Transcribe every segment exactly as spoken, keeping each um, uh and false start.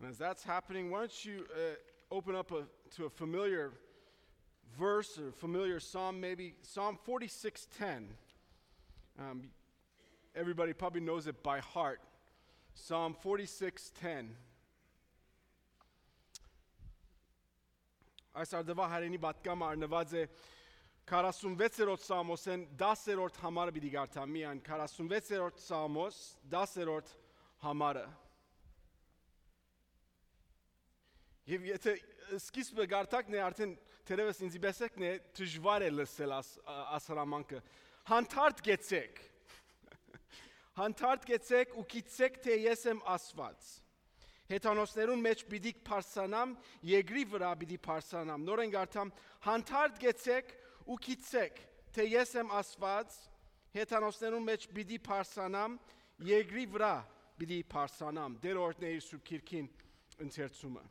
And as that's happening, why don't you uh, open up a, to a familiar verse or familiar psalm, maybe Psalm forty-six ten. Um, everybody probably knows it by heart. Psalm forty-six ten. Այս արդուայ Հայրենի պատգամը առնուած է քառասունվեցերորդ Սաղմոսէն, դասերորդ համարը պիտի կարդամ միայն, քառասունվեցերորդ Սաղմոս, դասերորդ համարը։ Եւ եթե սկիզբը գարտակն է, արդեն թերեւս ինձի պէս եկն է, դժուար է լսել աս, աս հրամանքը։ Հանդարտ գեցեք։ Հանդարտ գեցեք ու գիտցեք, թէ ես եմ Աստուած։ Հեթանոսներուն մէջ պիտի բարձրանամ, երկրի վրա պիտի բարձրանամ։ Նորեն գարտամ, հանդարտ գեցեք ու գիտցեք, թէ ես եմ Աստուած, հեթանոսներուն մէջ պիտի բարձրանամ, երկրի վրա պիտի բարձրանամ։ Տեր օրհնէ իր Սուրբ Գիրքին ընթերցումը։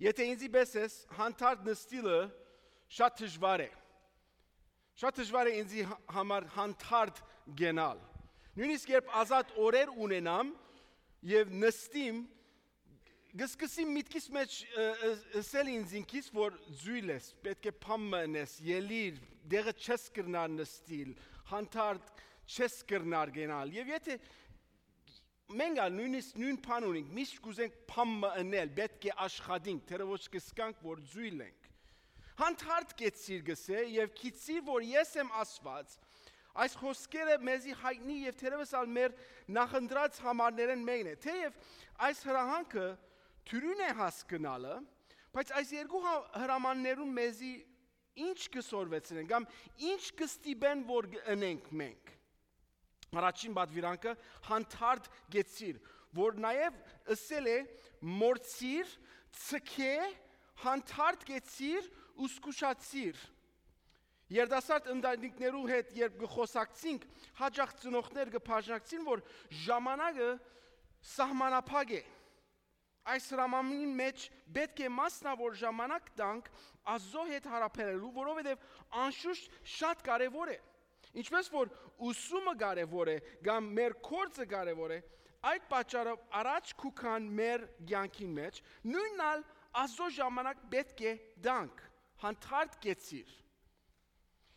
Եթե ինձի պէս ես, հանդարտ նստիլը շատ դժուար է։ Շատ դժուար է ինձի հա-, համար հանդարտ գնալ։ Նույնիսկ երբ ազատ օրեր ունենամ եւ նստիմ, կսկսեմ միտքիս մէջ, ը, ը, ըսել ինձ ինքիս, որ ձոյլ ես, պէտք է բան մը ընես, ելիր, դեղը չես կրնար նստիլ, հանդարտ չես կրնար գնալ։ Եւ եթե մենք ալ նույնիսկ նոյն բան ունենք, միշտ կուզենք բան մը ընել, պէտք է աշխատենք, թերեւս կ'ըսկանք, որ ձոյլ ենք։ Հանդարտ գեցիր, կ'ըսէ, եւ գիտցիր, որ ես եմ Աստուած։ Այս խօսքերը մեզի յայտնի եւ թերեւս ալ մեր նախընտրած համարներէն մէկն է։ Թէեւ այս հրահանգը դրոյն է հասկնալը, բայց այս երկու հա-, հրամաններուն մեզի ինչ կը սորվեցնեն կամ ինչ կը ստիպեն, որ գ-, ընենք մենք։ Առաջին պատուիրանքը, հանդարտ գեցիր, որ նաեւ ըսել է, մոռցիր, ցկէ, հանդարտ գեցիր ու զգուշացիր։ Երիտասարդ ընտանիքներու հետ երբ կը խօսակցինք, յաճախ ծնողներ կը բաժնակցին, որ ժամանակը սահմանափակ է։ Այս հրամանին մէջ պէտք է մասնաւոր ժամանակ տանք Աստուծոյ հետ յարաբերելու, որովհետեւ անշուշտ շատ կարեւոր է։ Ինչպէս որ ուսումը կարեւոր է կամ մեր գործը կարեւոր է, այդ պատճառով առաջ կու գան մեր կեանքին մէջ, նոյնն ալ Աստուծոյ ժամանակ պէտք է տանք, հանդարտ գեցիր։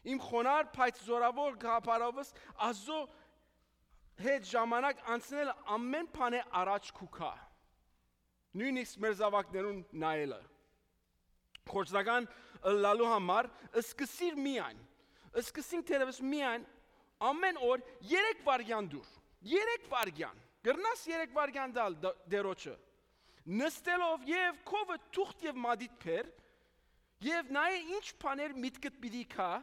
Իմ խոնար, բայց զօրաւոր գաղափարովս Աստուծոյ հետ ժամանակ անցնելը ամէն բանէ առաջ կու գայ։ Նոյնիսկ մեր զաւակներուն նայելը։ Գործնական ըլլալու համար սկսիր միայն։ Սկսինք թերեւս միայն ամէն օր երեք վայրկեան դուր։ Երեք վայրկեան։ Կրնաս երեք վայրկեան տալ դ-, Տիրոջը։ Նստելով եւ քովը թուղթ եւ մատիտ բեր, եւ նայէ ինչ բաներ միտքդ պիտի գայ,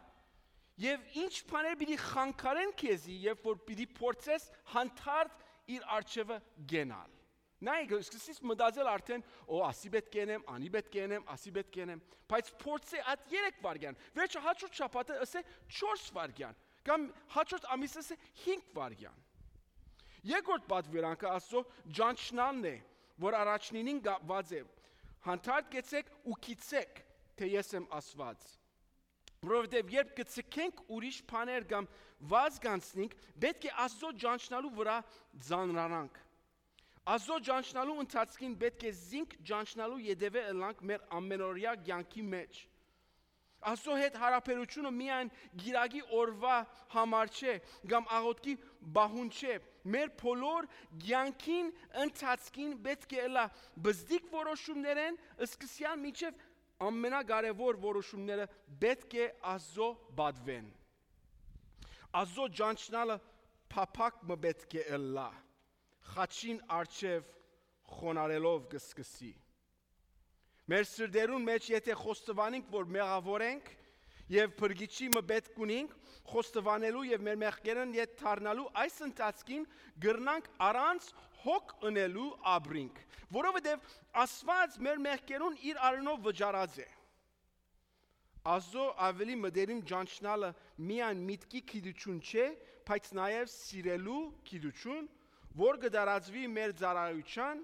եւ ինչ բաներ պիտի խանգարեն քեզի, երբ որ պիտի փորձես հանդարտ իր առջեւը գնալ։ Նայ, կը սկսես մտածել արդեն, «Օ, ասի պէտք է ընեմ, անի պէտք է ընեմ, ասի պէտք է ընեմ»։ Բայց փորձէ այդ երեք վայրկեան, վերջը հաջորդ շաբաթը ըսէ չորս վայրկեան, կամ հաջորդ ամիս ըսէ հինգ վայրկեան։ Երկրորդ պատուիրանքը Աստուծոյ ճանչնալն է, որ առաջնինին գաված է. «Հանդարտ գեցեք ու գիտցեք, թէ ես եմ Աստուած»։ Որովհետեւ երբ կը ցկենք ուրիշ բաներ կամ վազք անցնենք, պէտք է Աստուծոյ ճանչնալու վրա ծանրանանք։ Աստուծոյ ճանչնալու ընթացքին պէտք է զինք ճանչնալու ետեւէ ըլլանք մեր ամենօրեայ կեանքի մէջ։ Աստուծոյ հետ յարաբերութիւնը միայն կիրակի օրուայ համար չէ կամ աղօթքի պահուն չէ։ Մեր բոլոր կեանքին ընթացքին պէտք է ըլլայ բզդիկ որոշումներէն սկսեալ մինչեւ ամենակարեւոր որոշումները պէտք է Աստուծոյ պատուեն։ Աստուծոյ ճանչնալը փափաք մը պէտք է ըլլայ, խաչին առջեւ խոնարհելով կը սկսի։ Մեր սրտերուն մէջ եթե խոստովանենք, որ մեղաւոր ենք եւ փրկիչի մը պէտք ունենք, խոստովանելու եւ մեր մեղքերէն ետ դառնալու այս ընթացքին կրնանք առանց հոգ ընելու ապրինք, որովհետեւ Աստուած մեր մեղքերուն իր արիւնով վճարած է։ Աստուծոյ աւելի մտերիմ ճանչնալը միայն միտքի գիտութիւն չէ, բայց նաեւ սիրելու գիտութիւն, որ կը տարածուի մեր ծառայութեան,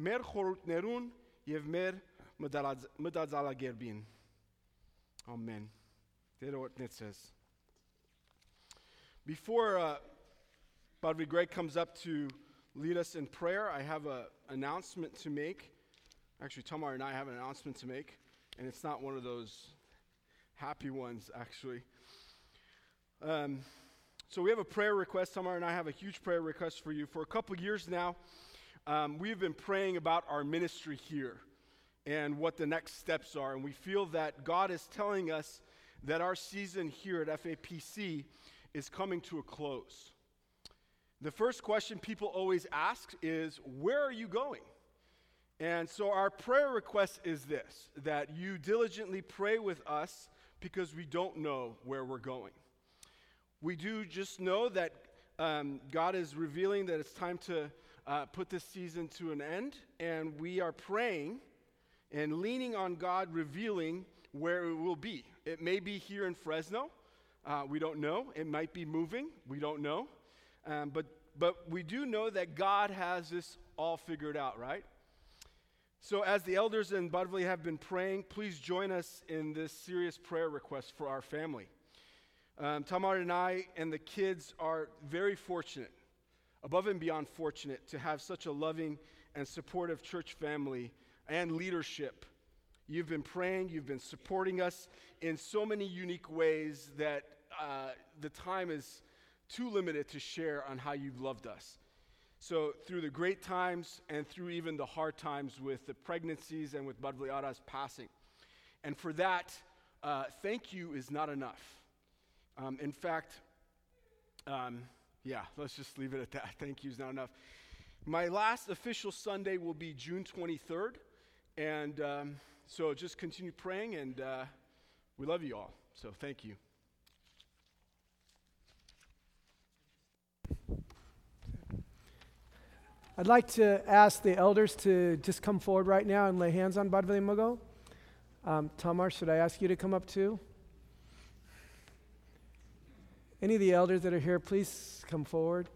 մեր խորհուրդներուն եւ մեր մտալած-, մտածալակերպին։ Ամեն։ Տէրը օրհնեցես։ Before uh, Padre Greg comes up to lead us in prayer, I have an announcement to make. Actually, Tamar and I have an announcement to make, and it's not one of those happy ones, actually. Um, so we have a prayer request. Tamar and I have a huge prayer request for you. For a couple years now, um, we've been praying about our ministry here and what the next steps are. And we feel that God is telling us that our season here at F A P C is coming to a close. The first question people always ask is, "Where are you going?" And so our prayer request is this, that you diligently pray with us because we don't know where we're going. We do just know that um, God is revealing that it's time to uh, put this season to an end, and we are praying and leaning on God revealing where it will be. It may be here in Fresno. Uh, we don't know. It might be moving. We don't know. Um, but, but we do know that God has this all figured out, right? So, as the elders in Badveli have been praying, please join us in this serious prayer request for our family. Um, Tamar and I and the kids are very fortunate, above and beyond fortunate, to have such a loving and supportive church family and leadership. You've been praying, you've been supporting us in so many unique ways that uh, the time is too limited to share on how you've loved us. So, through the great times and through even the hard times with the pregnancies and with Badveli Ara's passing. And for that, uh, thank you is not enough. Um, in fact, um, yeah, let's just leave it at that. Thank you is not enough. My last official Sunday will be June twenty-third. And um, so just continue praying, and uh, we love you all. So thank you. I'd like to ask the elders to just come forward right now and lay hands on Badveli Mugo. Um, Tamar, should I ask you to come up too? Any of the elders that are here, please come forward.